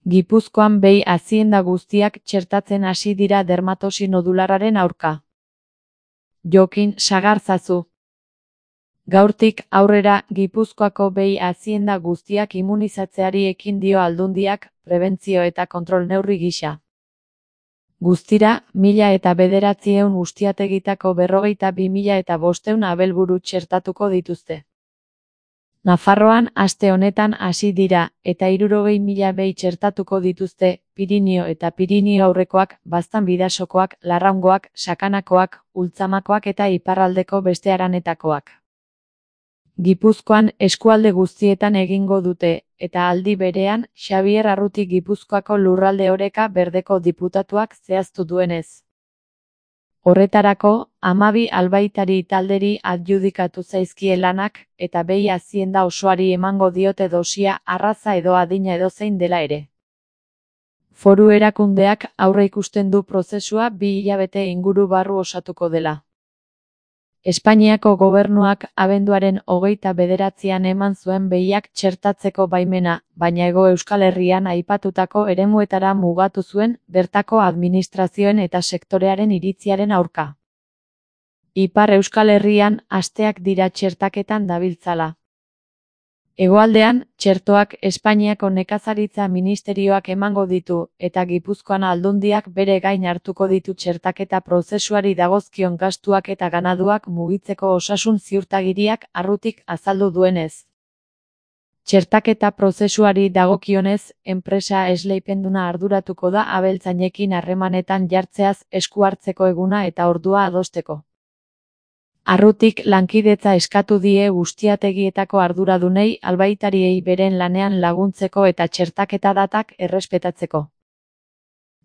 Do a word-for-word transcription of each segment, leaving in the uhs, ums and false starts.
Gipuzkoan behi azienda guztiak txertatzen hasi dira dermatosi nodularraren aurka. Jokin Sagarzazu. Gaurtik aurrera Gipuzkoako behi azienda guztiak immunizatzeari ekin dio Aldundiak, prebentzio eta kontrol neurri gisa. Guztira, mila eta bederatziehun ustiategitako berrogeita bi mila eta bostehun abelburu txertatuko dituzte. Nafarroan aste honetan hasi dira, eta hirurogei mila behi txertatuko dituzte, Pirinio eta Pirinio aurrekoak, Baztan bidasokoak, Larraungoak, Sakanakoak, Ultzamakoak eta iparraldeko beste haranetakoak. Gipuzkoan eskualde guztietan egingo dute, eta aldi berean, Xabier Arruti Gipuzkoako lurralde oreka berdeko diputatuak zehaztu duenez. Horretarako, hamabi albaitari talderi adjudikatu zaizkie lanak, eta behi azienda osoari emango diote dosia arraza edo adina edozein dela ere. Foru erakundeak aurreikusten du prozesua bi hilabete inguru barru osatuko dela. Espainiako gobernuak abenduaren hogeita bederatzian eman zuen behiak txertatzeko baimena, baina Hego Euskal Herrian aipatutako eremuetara mugatu zuen, bertako administrazioen eta sektorearen iritziaren aurka. Ipar Euskal Herrian asteak dira txertaketan dabiltzala. Hegoaldean, txertoak Espainiako nekazaritza ministerioak emango ditu, eta Gipuzkoan Aldundiak bere gain hartuko ditu txertaketa prozesuari dagozkion gastuak eta ganaduak mugitzeko osasun ziurtagiriak Arrutik azaldu duenez. Txertaketa prozesuari dagokionez, enpresa esleipenduna arduratuko da abeltzainekin harremanetan jartzeaz esku hartzeko eguna eta ordua adosteko. Arrutik lankidetza eskatu die ustiategietako arduradunei albaitariei beren lanean laguntzeko eta txertaketa datak errespetatzeko.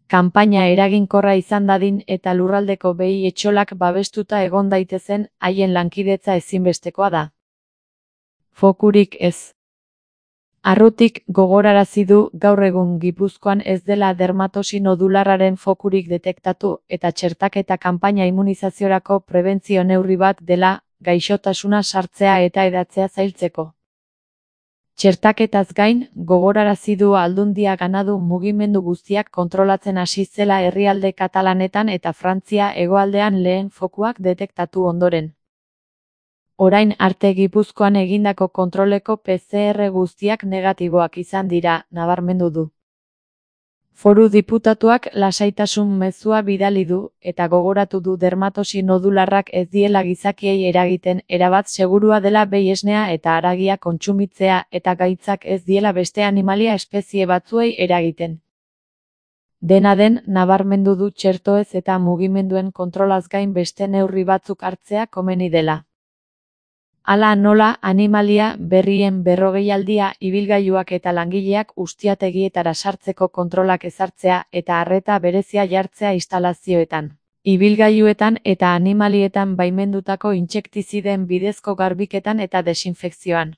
Kanpaina eraginkorra izan dadin eta lurraldeko behi etxolak babestuta egon daitezen, haien lankidetza ezinbestekoa da. Fokurik ez. Arrutik gogorarazi du gaur egun Gipuzkoan ez dela dermatosi nodularraren fokurik detektatu eta txertaketa kanpaina immunizaziorako prebentzio neurri bat dela, gaixotasuna sartzea eta hedatzea zailtzeko. Txertaketaz gain, gogorarazi du Aldundia ganadu mugimendu guztiak kontrolatzen hasi zela herrialde katalanetan eta Frantzia hegoaldean lehen fokuak detektatu ondoren. Orain arte Gipuzkoan egindako kontroleko P C R guztiak negatiboak izan dira, nabarmendu du. Foru diputatuak lasaitasun mezua bidali du, eta gogoratu du dermatosi nodularrak ez diela gizakiei eragiten, erabat segurua dela behi esnea eta haragia kontsumitzea eta gaitzak ez diela beste animalia espezie batzuei eragiten. Dena den, nabarmendu du txertoez eta mugimenduen kontrolaz gain beste neurri batzuk hartzea komeni dela. Hala nola, animalia berrien berrogeialdia ibilgailuak eta langileak ustiategietara sartzeko kontrolak ezartzea eta arreta berezia jartzea instalazioetan, ibilgailuetan eta animalietan baimendutako intsektizideen bidezko garbiketan eta desinfekzioan.